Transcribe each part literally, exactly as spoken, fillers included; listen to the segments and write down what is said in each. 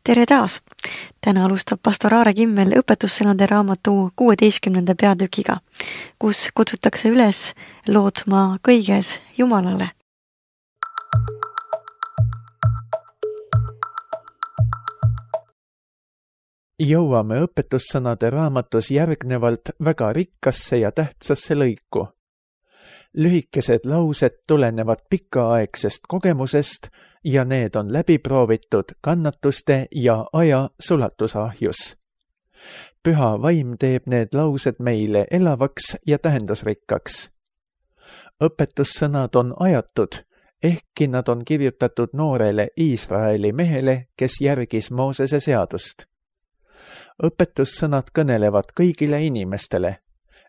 Tere taas! Täna alustab pastor Aare Kimmel õpetussõnade raamatu kuueteistkümnenda peatükiga, kus kutsutakse üles lootma kõiges Jumalale. Jõuame õpetussõnade raamatus järgnevalt väga rikkasse ja tähtsasse lõiku. Lühikesed laused tulenevad pikaaegsest kogemusest ja need on läbi proovitud kannatuste ja aja sulatusahjus. Püha vaim teeb need laused meile elavaks ja tähendusrikkaks. Õpetussõnad on ajatud, ehkki nad on kirjutatud noorele Iisraeli mehele, kes järgis Moosese seadust. Õpetussõnad kõnelevad kõigile inimestele,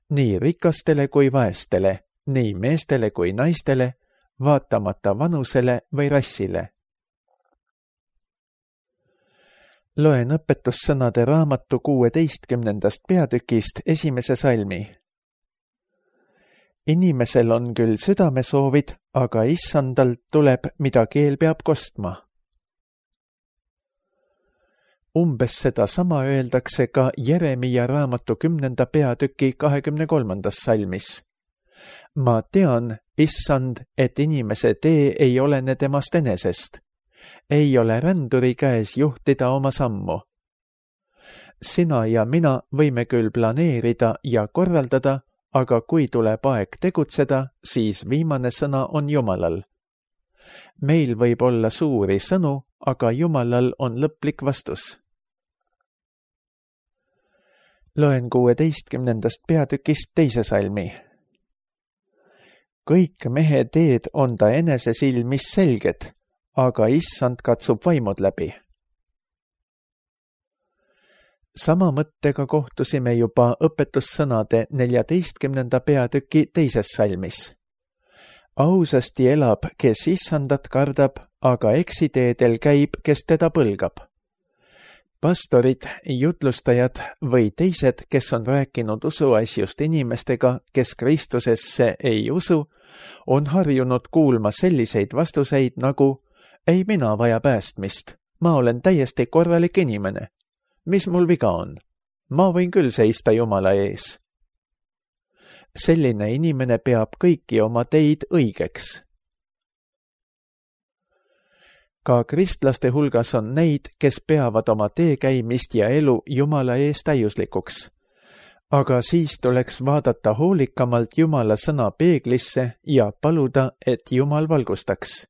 nii rikastele kui vaestele, nii meestele kui naistele, vaatamata vanusele või rassile. Loen õpetussõnade raamatu kuueteistkümnendast peatükist esimese salmi. Inimesel on küll südamesoovid, aga issandalt tuleb, mida keel peab kostma. Umbes seda sama öeldakse ka Jeremia raamatu kümnenda peatüki kahekümne kolmandas salmis. Ma tean, issand, et inimese tee ei olene temast enesest. Ei ole ränduri käes juhtida oma sammu. Sina ja mina võime küll planeerida ja korraldada, aga kui tuleb aeg tegutseda, siis viimane sõna on Jumalal. Meil võib olla suuri sõnu, aga Jumalal on lõplik vastus. Loen kuueteistkümnendast peatükist teise salmi. Kõik mehe teed on ta enese silmis selged, aga issand katsub vaimud läbi. Sama mõttega kohtusime juba õpetussõnade neljateistkümnenda peatüki teises salmis. Ausasti elab, kes issandat kardab, aga eksiteedel käib, kes teda põlgab. Pastorid, jutlustajad või teised, kes on rääkinud usuasjust inimestega, kes Kristusesse ei usu, on harjunud kuulma selliseid vastuseid nagu ei mina vaja päästmist, ma olen täiesti korralik inimene. Mis mul viga on? Ma võin küll seista Jumala ees. Selline inimene peab kõiki oma teid õigeks. Ka kristlaste hulgas on neid, kes peavad oma teekäimist ja elu Jumala ees täiuslikuks. Aga siis tuleks vaadata hoolikamalt Jumala sõna peeglisse ja paluda, et Jumal valgustaks.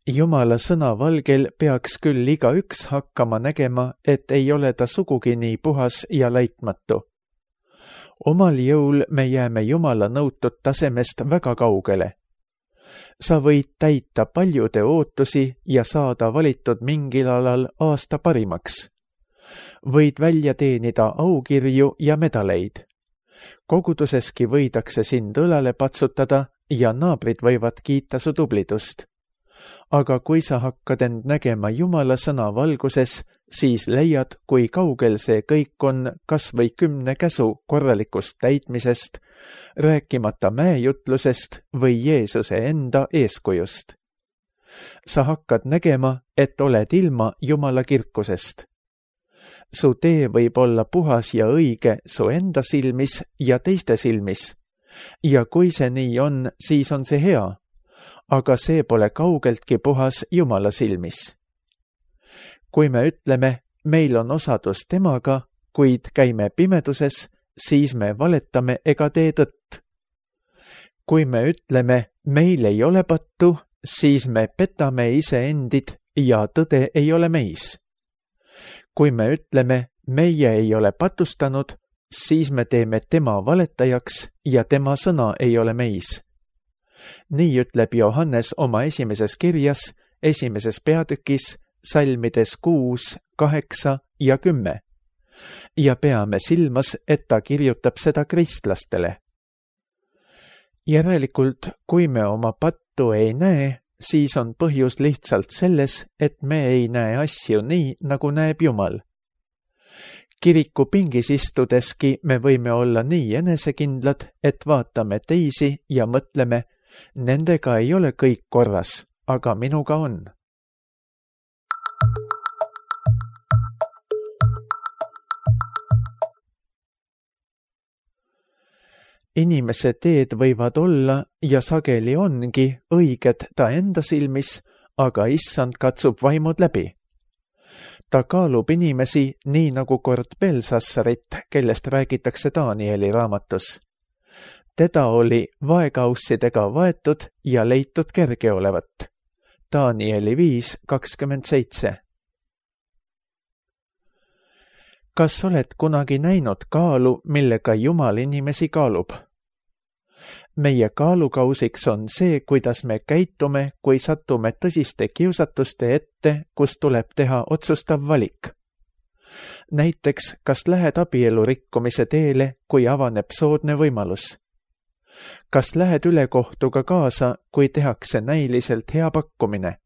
Jumala sõna valgel peaks küll iga üks hakkama nägema, et ei ole ta sugugi nii puhas ja laitmatu. Omal jõul me jääme Jumala nõutud tasemest väga kaugele. Sa võid täita paljude ootusi ja saada valitud mingil alal aasta parimaks. Võid välja teenida aukirju ja medaleid. Koguduseski võidakse sind õlale patsutada ja naabrid võivad kiita su tublidust. Aga kui sa hakkad end nägema Jumala sõna valguses, siis leiad, kui kaugel see kõik on kas või kümne käsu korralikust täitmisest, rääkimata mäejutlusest või Jeesuse enda eeskujust. Sa hakkad nägema, et oled ilma Jumala kirkusest. Su tee võib olla puhas ja õige su enda silmis ja teiste silmis. Ja kui see nii on, siis on see hea. Aga see pole kaugeltki puhas Jumala silmis. Kui me ütleme, meil on osadus temaga, kuid käime pimeduses, siis me valetame ega tee tõtt. Kui me ütleme, meil ei ole pattu, siis me petame iseendid ja tõde ei ole meis. Kui me ütleme, meie ei ole patustanud, siis me teeme tema valetajaks ja tema sõna ei ole meis. Nii ütleb Johannes oma esimeses kirjas, esimeses peatükis, salmides kuus, kaheksa ja kümme. Ja peame silmas, et ta kirjutab seda kristlastele. Järelikult, kui me oma pattu ei näe, siis on põhjus lihtsalt selles, et me ei näe asju nii, nagu näeb Jumal. Kiriku pingis istudeski me võime olla nii enesekindlad, et vaatame teisi ja mõtleme, nendega ei ole kõik korras, aga minuga on. inimese teed võivad olla ja sageli ongi õiged ta enda silmis, aga issand katsub vaimud läbi. Ta kaalub inimesi nii nagu kord Belsassarit, kellest räägitakse Danieli raamatus. Teda oli vaekaussidega vaetud ja leitud kerge olevat. Danieli viis kakskümmend seitse. Kas oled kunagi näinud kaalu, millega Jumal inimesi kaalub? Meie kaalukausiks on see, kuidas me käitume, kui satume tõsiste kiusatuste ette, kus tuleb teha otsustav valik. Näiteks, kas lähed abielu rikkumise teele, kui avaneb soodne võimalus? Kas lähed ülekohtuga kaasa, kui tehakse näiliselt hea pakkumine?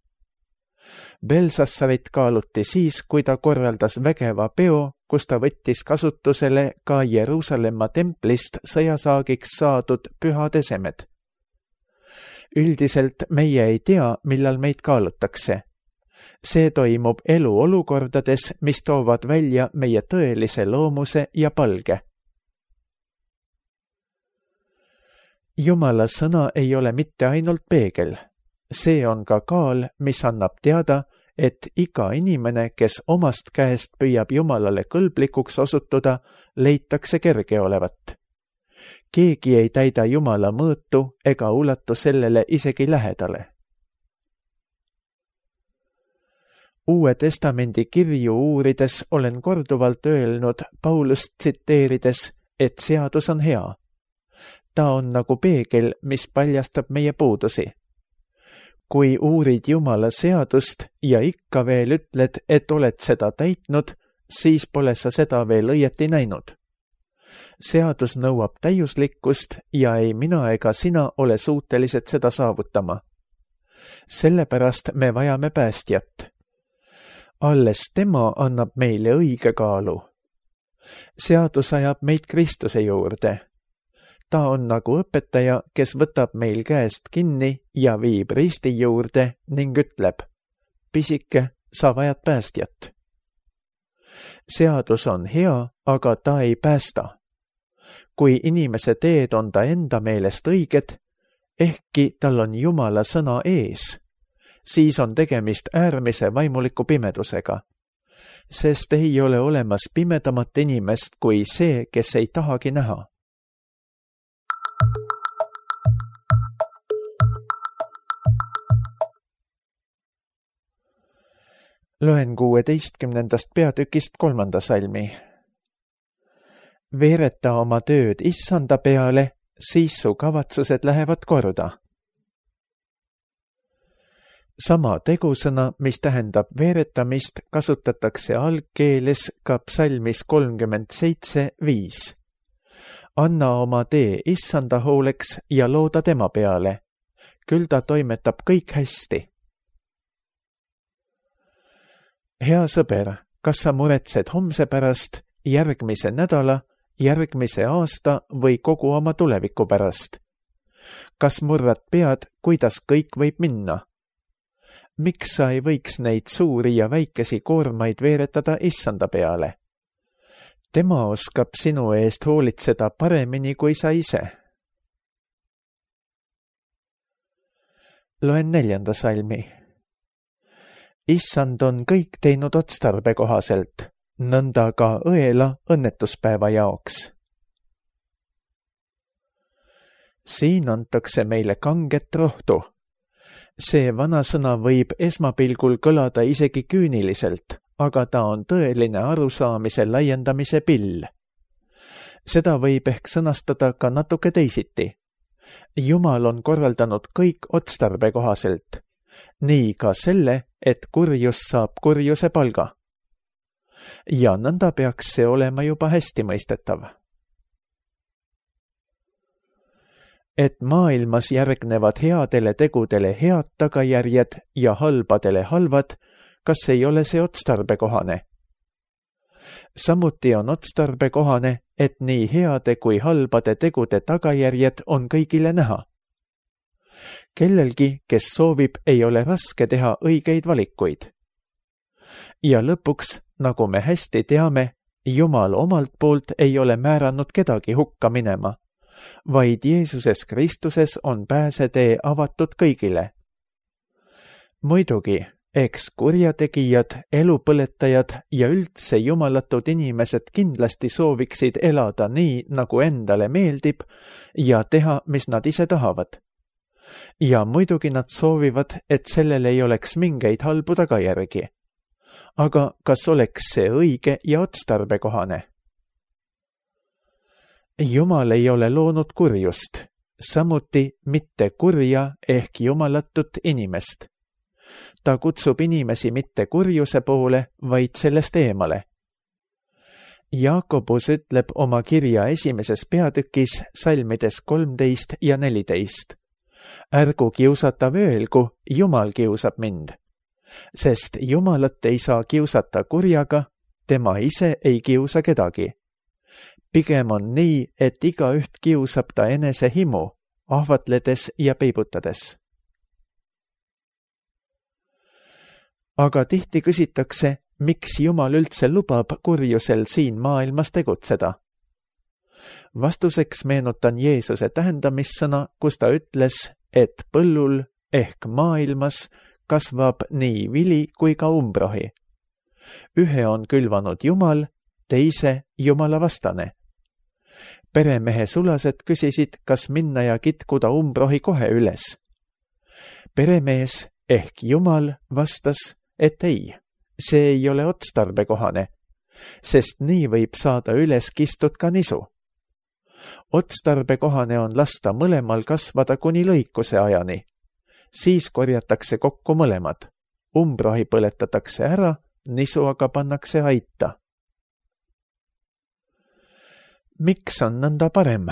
Belsassarit kaaluti siis, kui ta korraldas vägeva peo, kus ta võttis kasutusele ka Jeruusalemma templist sõjasaagiks saadud pühad esemed. Üldiselt meie ei tea, millal meid kaalutakse. See toimub eluolukordades, mis toovad välja meie tõelise loomuse ja palge. Jumala sõna ei ole mitte ainult peegel. See on ka kaal, mis annab teada, et iga inimene, kes omast käest püüab Jumalale kõlblikuks osutuda, leitakse kerge olevat. Keegi ei täida Jumala mõõtu ega ulatu sellele isegi lähedale. Uue testamendi kirju uurides olen korduvalt öelnud Paulust tsiteerides, et seadus on hea. Ta on nagu peegel, mis paljastab meie puudusi. Kui uurid Jumala seadust ja ikka veel ütled, et oled seda täitnud, siis pole sa seda veel õieti näinud. Seadus nõuab täiuslikkust ja ei mina ega sina ole suutelised seda saavutama. Sellepärast me vajame päästjat. Alles tema annab meile õige kaalu. Seadus ajab meid Kristuse juurde. Ta on nagu õpetaja, kes võtab meil käest kinni ja viib risti juurde ning ütleb, pisike, sa vajad päästjat. Seadus on hea, aga ta ei päästa. Kui inimese teed on ta enda meelest õiged, ehkki tal on Jumala sõna ees, siis on tegemist äärmise vaimuliku pimedusega, sest ei ole olemas pimedamat inimest kui see, kes ei tahagi näha. Loen kuueteistkümnendast peatükist kolmanda salmi. Veereta oma tööd issanda peale, siis su kavatsused lähevad korda. Sama tegusõna, mis tähendab veeretamist, kasutatakse algkeeles ka psalmis kolmkümmend seitse viis. Anna oma tee issanda hooleks ja looda tema peale. Küll ta toimetab kõik hästi. Hea sõber, kas sa muretsed homse pärast, järgmise nädala, järgmise aasta või kogu oma tuleviku pärast? Kas murrad pead, kuidas kõik võib minna? Miks sa ei võiks neid suuri ja väikesi koormaid veeretada issanda peale? Tema oskab sinu eest hoolitseda paremini kui sa ise. Loen neljanda salmi. Issand on kõik teinud otstarbe kohaselt, nõnda ka õela õnnetuspäeva jaoks. Siin antakse meile kanget rohtu. See vanasõna võib esmapilgul kõlada isegi küüniliselt, aga ta on tõeline arusaamise laiendamise pill. Seda võib ehk sõnastada ka natuke teisiti. Jumal on korraldanud kõik otstarbe kohaselt. Nii ka selle, et kurjus saab kurjuse palga. Ja nõnda peaks see olema juba hästi mõistetav. Et maailmas järgnevad headele tegudele head tagajärjed ja halbadele halvad, kas ei ole see otstarbekohane? Samuti on otstarbekohane, et nii heade kui halbade tegude tagajärjed on kõigile näha. Kellelgi, kes soovib, ei ole raske teha õigeid valikuid. Ja lõpuks, nagu me hästi teame, Jumal omalt poolt ei ole määranud kedagi hukka minema, vaid Jeesuses Kristuses on pääsetee avatud kõigile. Muidugi, eks kurjategijad, elupõletajad ja üldse jumalatud inimesed kindlasti sooviksid elada nii, nagu endale meeldib ja teha, mis nad ise tahavad. Ja muidugi nad soovivad, et sellel ei oleks mingeid halbu tagajärgi. Aga kas oleks see õige ja otstarbekohane? Jumal ei ole loonud kurjust, samuti mitte kurja ehk jumalatut inimest. Ta kutsub inimesi mitte kurjuse poole, vaid sellest eemale. Jaakobus ütleb oma kirja esimeses peatükis salmides kolmteist ja neliteist. Ärgu kiusata öelgu, Jumal kiusab mind. Sest Jumalat ei saa kiusata kurjaga, tema ise ei kiusa kedagi. Pigem on nii, et igaüht kiusab ta enese himu, ahvatledes ja peibutades. Aga tihti küsitakse, miks Jumal üldse lubab kurjusel siin maailmas tegutseda. Vastuseks meenutan Jeesuse tähendamissõna, kus ta ütles, et põllul ehk maailmas kasvab nii vili kui ka umbrohi. Ühe on külvanud Jumal, teise Jumala vastane. Peremehe sulased küsisid, kas minna ja kitkuda umbrohi kohe üles. Peremees ehk Jumal vastas, et ei, see ei ole otstarbekohane, sest nii võib saada üles kistud ka nisu. Otstarbekohane on lasta mõlemal kasvada kuni lõikuse ajani. Siis korjatakse kokku mõlemad. Umbrohi põletatakse ära, nisu aga pannakse aita. Miks on nõnda parem?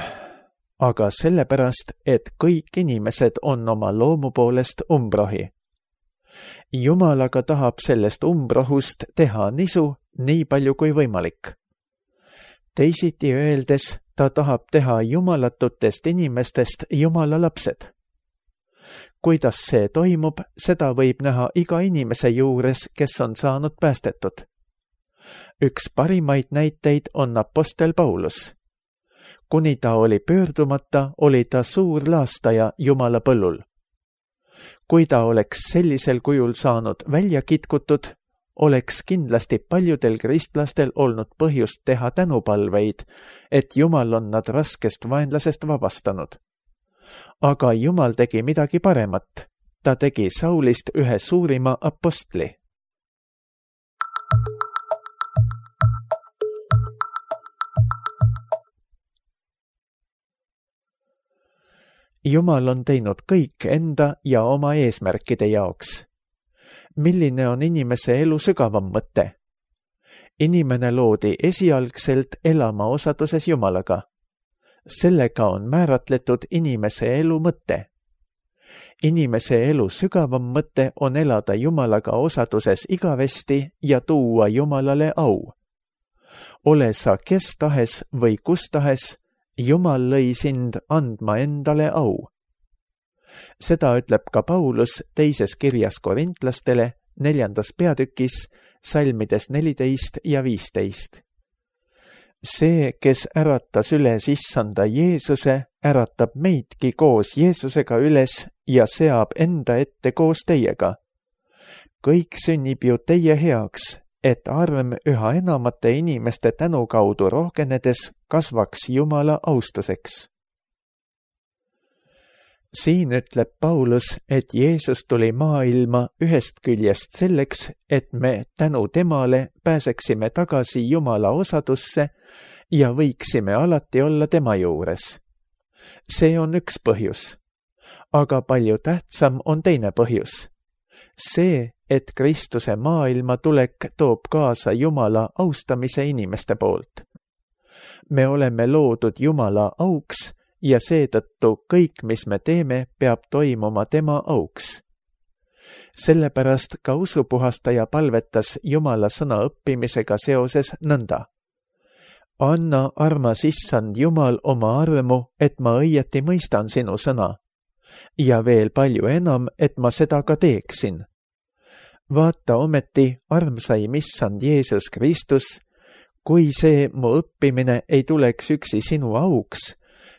Aga sellepärast, et kõik inimesed on oma loomu poolest umbrohi. Jumal aga tahab sellest umbrohust teha nisu nii palju kui võimalik. Teisiti öeldes, ta tahab teha jumalatutest inimestest Jumala lapsed. Kuidas see toimub, seda võib näha iga inimese juures, kes on saanud päästetud. Üks parimaid näiteid on apostel Paulus. Kuni ta oli pöördumata, oli ta suur laastaja Jumala põllul. Kui ta oleks sellisel kujul saanud välja kitkutud, oleks kindlasti paljudel kristlastel olnud põhjust teha tänupalveid, et Jumal on nad raskest vaenlasest vabastanud. Aga Jumal tegi midagi paremat. Ta tegi Saulist ühe suurima apostli. Jumal on teinud kõik enda ja oma eesmärkide jaoks. Milline on inimese elu sügavam mõte? Inimene loodi esialgselt elama osaduses Jumalaga. Sellega on määratletud inimese elu mõte. Inimese elu sügavam mõte on elada Jumalaga osaduses igavesti ja tuua Jumalale au. Ole sa kes tahes või kus tahes, Jumal lõi sind andma endale au. Seda ütleb ka Paulus teises kirjas korintlastele neljandas peatükis salmides neliteist ja viisteist. See, kes äratas üles issanda Jeesuse, äratab meidki koos Jeesusega üles ja seab enda ette koos teiega. Kõik sünnib ju teie heaks, et arm üha enamate inimeste tänu kaudu rohkenedes kasvaks Jumala austuseks. Siin ütleb Paulus, et Jeesus tuli maailma ühest küljest selleks, et me tänu temale pääseksime tagasi Jumala osadusse ja võiksime alati olla tema juures. See on üks põhjus. Aga palju tähtsam on teine põhjus. See, et Kristuse maailma tulek toob kaasa Jumala austamise inimeste poolt. Me oleme loodud Jumala auks ja seetõttu kõik, mis me teeme, peab toimuma tema auks. Sellepärast ka usupuhastaja palvetas Jumala sõna õppimisega seoses nõnda. Anna, armas issand Jumal, oma armu, et ma õieti mõistan sinu sõna. Ja veel palju enam, et ma seda ka teeksin. Vaata ometi, armsaim issand Jeesus Kristus, kui see mu õppimine ei tuleks üksi sinu auks,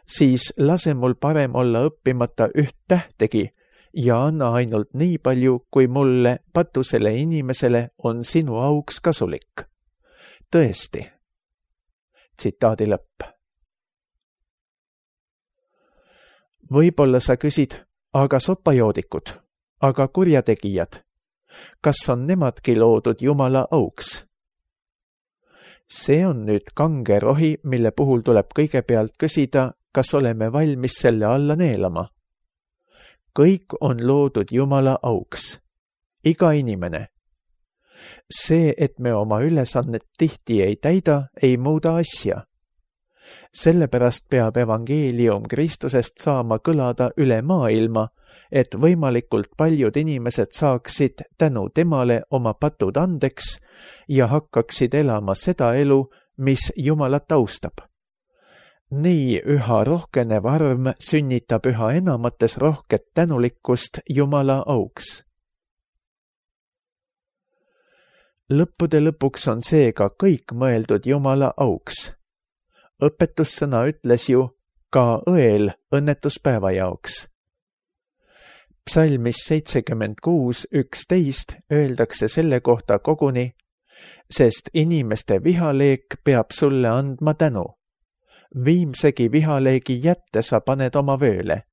siis lase mul parem olla õppimata üht tähtegi ja anna ainult nii palju, kui mulle, patusele inimesele, on sinu auks kasulik. Tõesti. Tsitaadi lõpp. Võib-olla sa küsid, aga sopajoodikud, aga kurjategijad, kas on nemadki loodud Jumala auks? See on nüüd kange rohi, mille puhul tuleb kõigepealt küsida, kas oleme valmis selle alla neelama. Kõik on loodud Jumala auks. Iga inimene. See, et me oma ülesannet tihti ei täida, ei muuda asja. Sellepärast peab evangeelium Kristusest saama kõlada üle maailma, et võimalikult paljud inimesed saaksid tänu temale oma patud andeks ja hakkaksid elama seda elu, mis Jumalat austab. Nii üha rohkenev arv sünnitab üha enamates rohket tänulikkust Jumala auks. Lõppude lõpuks on seega kõik mõeldud Jumala auks. Õpetussõna ütles ju ka õel õnnetuspäeva jaoks. Psalmis seitsekümmend kuus üksteist öeldakse selle kohta koguni, sest inimeste vihaleek peab sulle andma tänu. Viimsegi vihaleegi jätte sa paned oma vööle.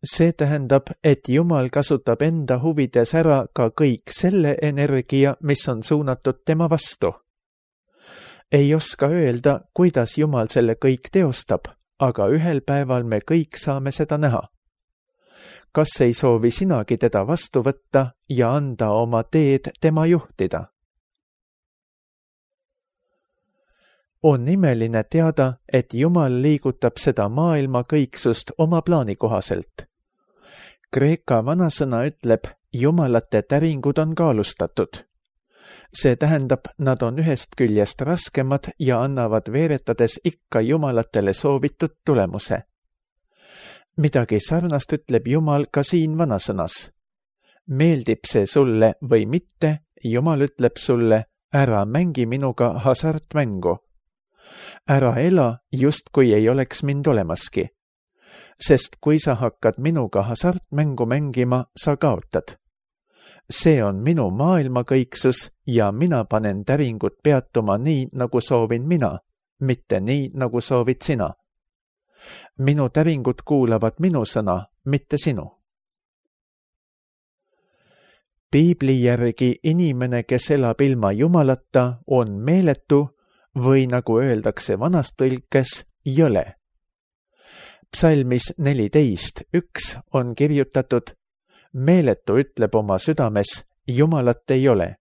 See tähendab, et Jumal kasutab enda huvides ära ka kõik selle energia, mis on suunatud tema vastu. Ei oska öelda, kuidas Jumal selle kõik teostab, aga ühel päeval me kõik saame seda näha. Kas ei soovi sinagi teda vastu võtta ja anda oma teed tema juhtida? On imeline teada, et Jumal liigutab seda maailma kõiksust oma plaani kohaselt. Kreeka vanasõna ütleb, jumalate täringud on kaalustatud. See tähendab, nad on ühest küljest raskemad ja annavad veeretades ikka jumalatele soovitud tulemuse. Midagi sarnast ütleb Jumal ka siin vanasõnas. Meeldib see sulle või mitte, Jumal ütleb sulle, ära mängi minuga hasartmängu. Ära ela, just kui ei oleks mind olemaski. Sest kui sa hakkad minuga hasartmängu mängima, sa kaotad. See on minu maailma kõiksus ja mina panen täringud peatuma nii, nagu soovin mina, mitte nii, nagu soovid sina. Minu täringud kuulavad minu sõna, mitte sinu. Piibli järgi inimene, kes elab ilma Jumalata, on meeletu või nagu öeldakse vanas tõlkes, jõle. Psalmis neliteist üks on kirjutatud, meeletu ütleb oma südames, Jumalat ei ole.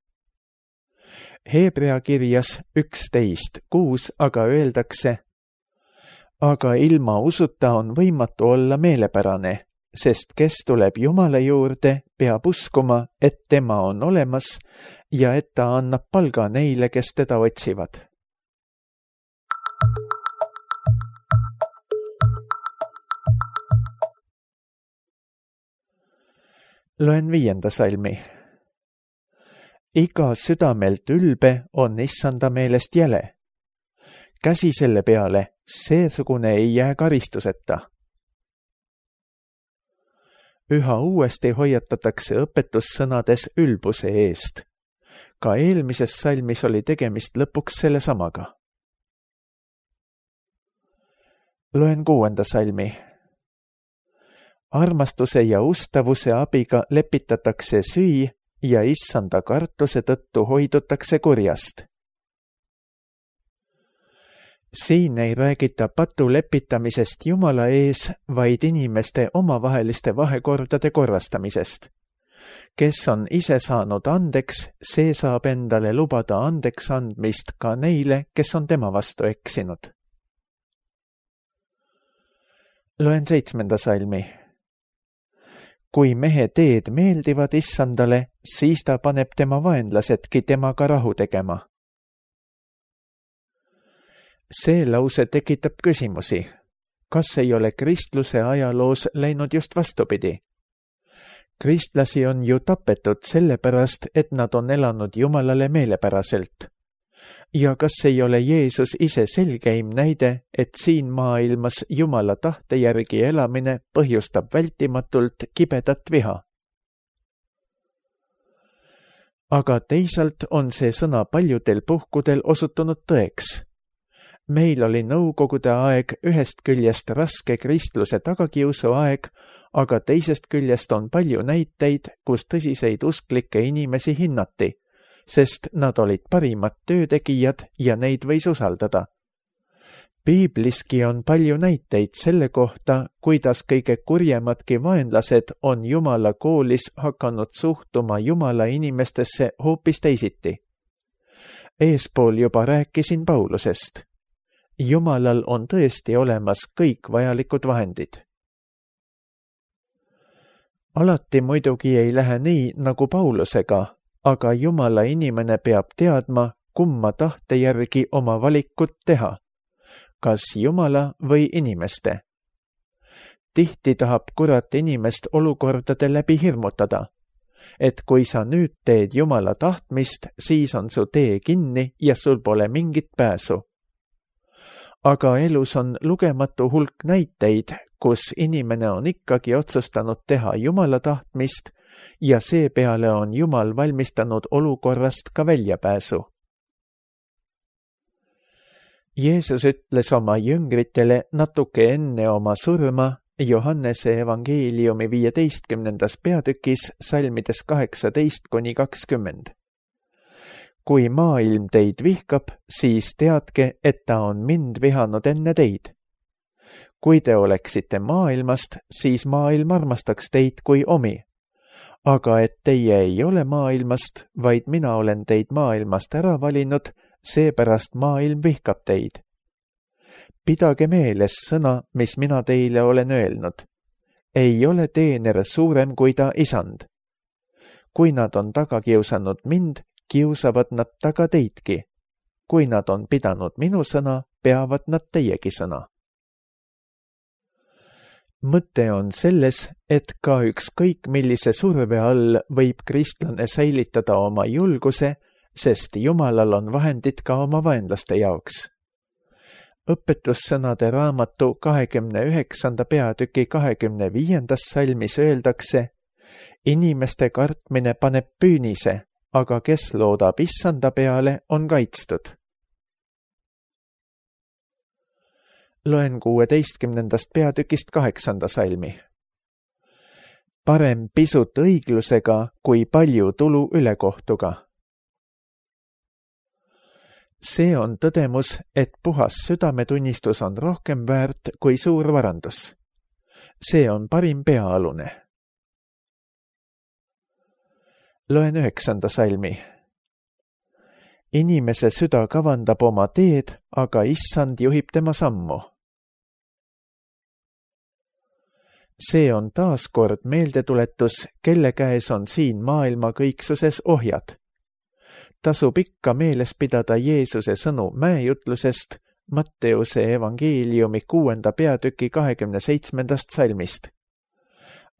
Heebrea kirjas üksteist kuus aga öeldakse, aga ilma usuta on võimatu olla meelepärane, sest kes tuleb Jumala juurde, peab uskuma, et tema on olemas ja et ta annab palga neile, kes teda otsivad. Loen viienda salmi. Iga südamelt ülbe on issanda meelest jäle. Käsi selle peale, seesugune ei jää karistuseta. Üha uuesti hoiatatakse õpetussõnades ülbuse eest. Ka eelmises salmis oli tegemist lõpuks selle samaga. Loen kuuenda salmi. Armastuse ja ustavuse abiga lepitatakse süü ja issanda kartuse tõttu hoidutakse kurjast. Siin ei räägita patu lepitamisest Jumala ees, vaid inimeste omavaheliste vahekordade korrastamisest. Kes on ise saanud andeks, see saab endale lubada andeks andmist ka neile, kes on tema vastu eksinud. Loen seitsmenda salmi. Kui mehe teed meeldivad issandale, siis ta paneb tema vaenlasedki temaga rahu tegema. See lause tekitab küsimusi. Kas ei ole kristluse ajaloos läinud just vastupidi? Kristlasi on ju tapetud sellepärast, et nad on elanud Jumalale meelepäraselt. Ja kas ei ole Jeesus ise selgeim näide, et siin maailmas Jumala tahte järgi elamine põhjustab vältimatult kibedat viha? Aga teisalt on see sõna paljudel puhkudel osutunud tõeks. Meil oli nõukogude aeg ühest küljest raske kristluse tagakiusu aeg, aga teisest küljest on palju näiteid, kus tõsiseid usklikke inimesi hinnati, sest nad olid parimad töötegijad ja neid võis usaldada. Piibliski on palju näiteid selle kohta, kuidas kõige kurjemadki vaenlased on Jumala koolis hakanud suhtuma Jumala inimestesse hoopis teisiti. Eespool juba rääkisin Paulusest. Jumalal on tõesti olemas kõik vajalikud vahendid. Alati muidugi ei lähe nii nagu Paulusega, aga Jumala inimene peab teadma, kumma tahte järgi oma valikut teha, kas Jumala või inimeste. Tihti tahab kurat inimest olukordade läbi hirmutada, et kui sa nüüd teed Jumala tahtmist, siis on su tee kinni ja sul pole mingit pääsu. Aga elus on lugematu hulk näiteid, kus inimene on ikkagi otsustanud teha Jumala tahtmist ja seepeale on Jumal valmistanud olukorrast ka väljapääsu. Jeesus ütles oma jüngritele natuke enne oma surma Johannese evangeeliumi viieteistkümnendas peatükis salmides kaheksateist kuni kakskümmend. Kui maailm teid vihkab, siis teadke, et ta on mind vihanud enne teid. Kui te oleksite maailmast, siis maailm armastaks teid kui omi. Aga et teie ei ole maailmast, vaid mina olen teid maailmast ära valinud, seepärast maailm vihkab teid. Pidage meeles sõna, mis mina teile olen öelnud. Ei ole teener suurem kui ta isand. Kui nad on taga kiusanud mind, kiusavad nad taga teidki. Kui nad on pidanud minu sõna, peavad nad teiegi sõna. Mõte on selles, et ka ükskõik millise surve all võib kristlane säilitada oma julguse, sest Jumalal on vahendid ka oma vaenlaste jaoks. Õpetussõnade raamatu kahekümne üheksanda peatüki kahekümne viiendas salmis öeldakse, inimeste kartmine paneb püünise, aga kes loodab issanda peale, on kaitstud. Loen kuueteistkümnendast peatükist kaheksanda salmi. Parem pisut õiglusega kui palju tulu ülekohtuga. See on tõdemus, et puhas südametunnistus on rohkem väärt kui suur varandus. See on parim peaalune. Loen üheksanda salmi. Inimese süda kavandab oma teed, aga issand juhib tema sammu. See on taas kord meeldetuletus, kelle käes on siin maailma kõiksuses ohjad. Tasub ikka meeles pidada Jeesuse sõnu mäejutlusest Matteuse evangeeliumi kuuenda peatüki kahekümne seitsmendast salmist.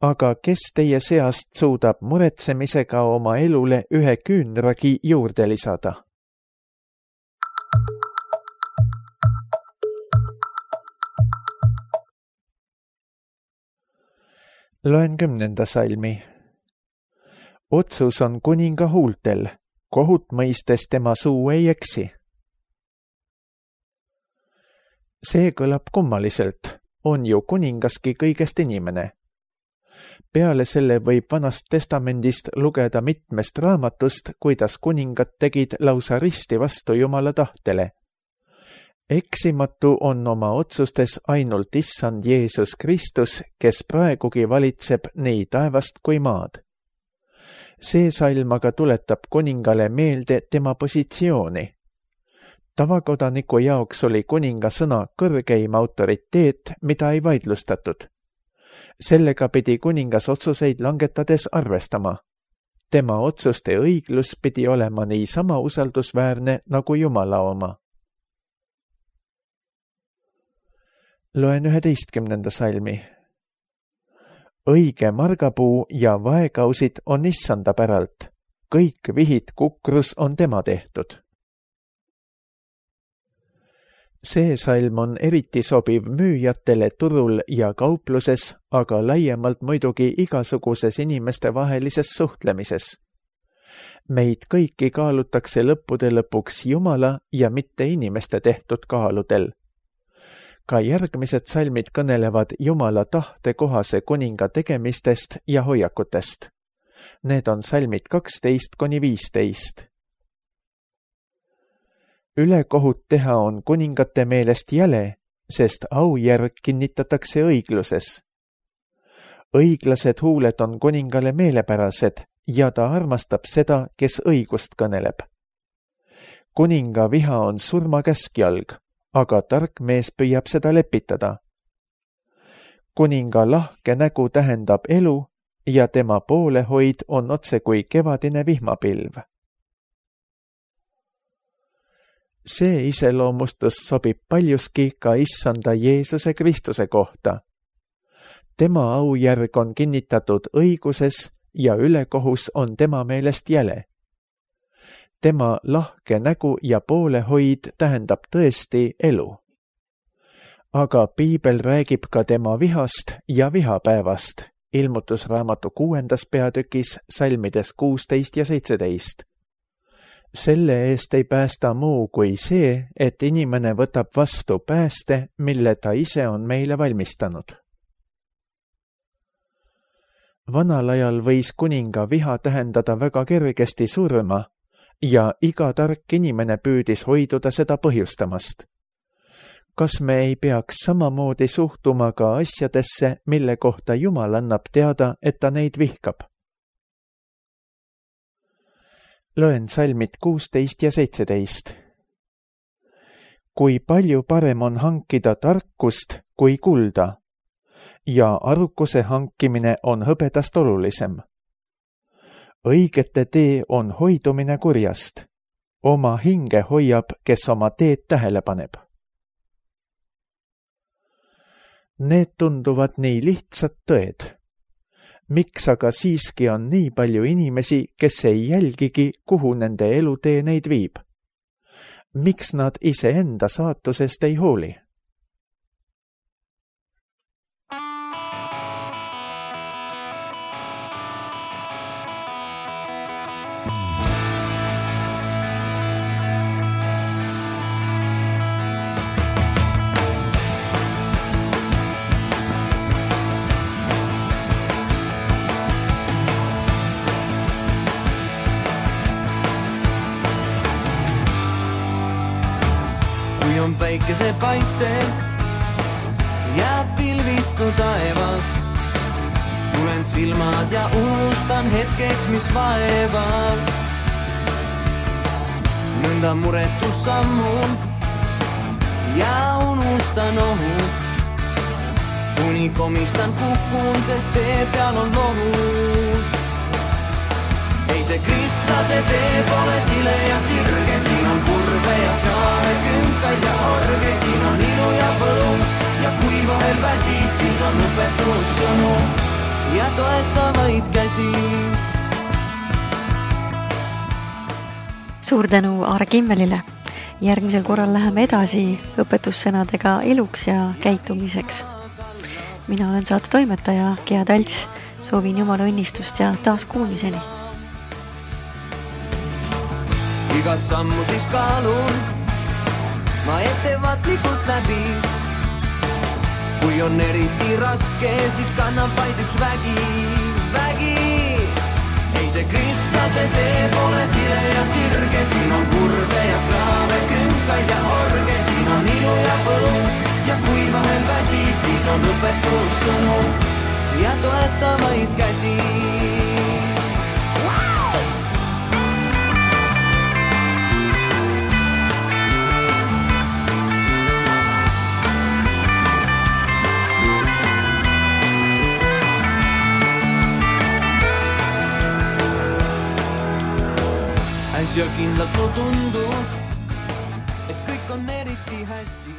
Aga kes teie seast suudab muretsemisega oma elule ühe küünragi juurde lisada? Loen kümnenda salmi. Otsus on kuninga huultel, kohut mõistes tema suu ei eksi. See kõlab kummaliselt, on ju kuningaski kõigest inimene. Peale selle võib Vanast testamendist lugeda mitmest raamatust, kuidas kuningad tegid lausa risti vastu Jumala tahtele. Eksimatu on oma otsustes ainult issand Jeesus Kristus, kes praegugi valitseb nii taevast kui maad. See salm aga tuletab kuningale meelde tema positsiooni. Tavakodaniku jaoks oli kuninga sõna kõrgeim autoriteet, mida ei vaidlustatud. Sellega pidi kuningas otsuseid langetades arvestama. Tema otsuste õiglus pidi olema nii sama usaldusväärne nagu Jumala oma. Loen üheteistkümnenda salmi. Õige margapuu ja vaekausid on issanda päralt. Kõik vihid kukrus on tema tehtud. see salm on eriti sobiv müüjatele turul ja kaupluses, aga laiemalt muidugi igasuguses inimestevahelises suhtlemises. Meid kõiki kaalutakse lõppude lõpuks Jumala ja mitte inimeste tehtud kaaludel. Ka järgmised salmid kõnelevad Jumala tahte kohase kuninga tegemistest ja hoiakutest. Need on salmid kaksteist kuni viisteist. Ülekohut teha on kuningate meelest jäle, sest aujärg kinnitatakse õigluses. Õiglased huuled on kuningale meelepärased ja ta armastab seda, kes õigust kõneleb. Kuninga viha on surmakäskjalg, aga tark mees püüab seda lepitada. Kuninga lahke nägu tähendab elu ja tema poolehoid on otse kui kevadine vihmapilv. See iseloomustus sobib paljuski ka issanda Jeesuse Kristuse kohta. Tema aujärg on kinnitatud õiguses ja ülekohus on tema meelest jäle. Tema lahke nägu ja poolehoid tähendab tõesti elu. Aga piibel räägib ka tema vihast ja vihapäevast, ilmutusraamatu kuuendas peatükis salmides kuusteist ja seitseteist. Selle eest ei päästa muu kui see, et inimene võtab vastu pääste, mille ta ise on meile valmistanud. Vanal ajal võis kuninga viha tähendada väga kergesti surma ja iga tark inimene püüdis hoiduda seda põhjustamast. Kas me ei peaks samamoodi suhtuma ka asjadesse, mille kohta Jumal annab teada, et ta neid vihkab? Loen salmid kuusteist ja seitseteist. Kui palju parem on hankida tarkust kui kulda ja arukuse hankimine on hõbedast olulisem. Õigete tee on hoidumine kurjast. Oma hinge hoiab, kes oma teed tähele paneb. Need tunduvad nii lihtsad tõed. Miks aga siiski on nii palju inimesi, kes ei jälgigi, kuhu nende elutee neid viib? Miks nad iseenda saatusest ei hooli? On päikese paiste jääb pilvitu taevas. Sulen silmad ja unustan hetkeks, mis vaevas. Nõnda muretult sammun ja unustan ohud. Kuni komistan kukun, sest tee peal on lohud. Ei see kristlase tee pole sile ja sirge, siin on kurve ja kraave, künkaid ja orge, siin on ilu ja võlu ja kui vahel väsid, siis on õpetussõnu ja toetavaid käsi. Suur tänu Aare Kimmelile. Järgmisel korral läheme edasi õpetussõnadega eluks ja käitumiseks. Mina olen saate toimetaja Gea Talts. Soovin Jumala õnnistust ja taas kuulmiseni. Igat sammu siis kaalun ma ettevaatlikult läbi. Kui on eriti raske, siis kannab vaid üks vägi, vägi. Ei see kristlase tee pole sile ja sirge, siin on kurve ja kraave, künkaid ja orge, siin on ilu ja võlu ja kui vahel väsid, siis on õpetussõnu ja toetavaid käsi. Ja kindlalt mu tundus, et kõik on eriti hästi.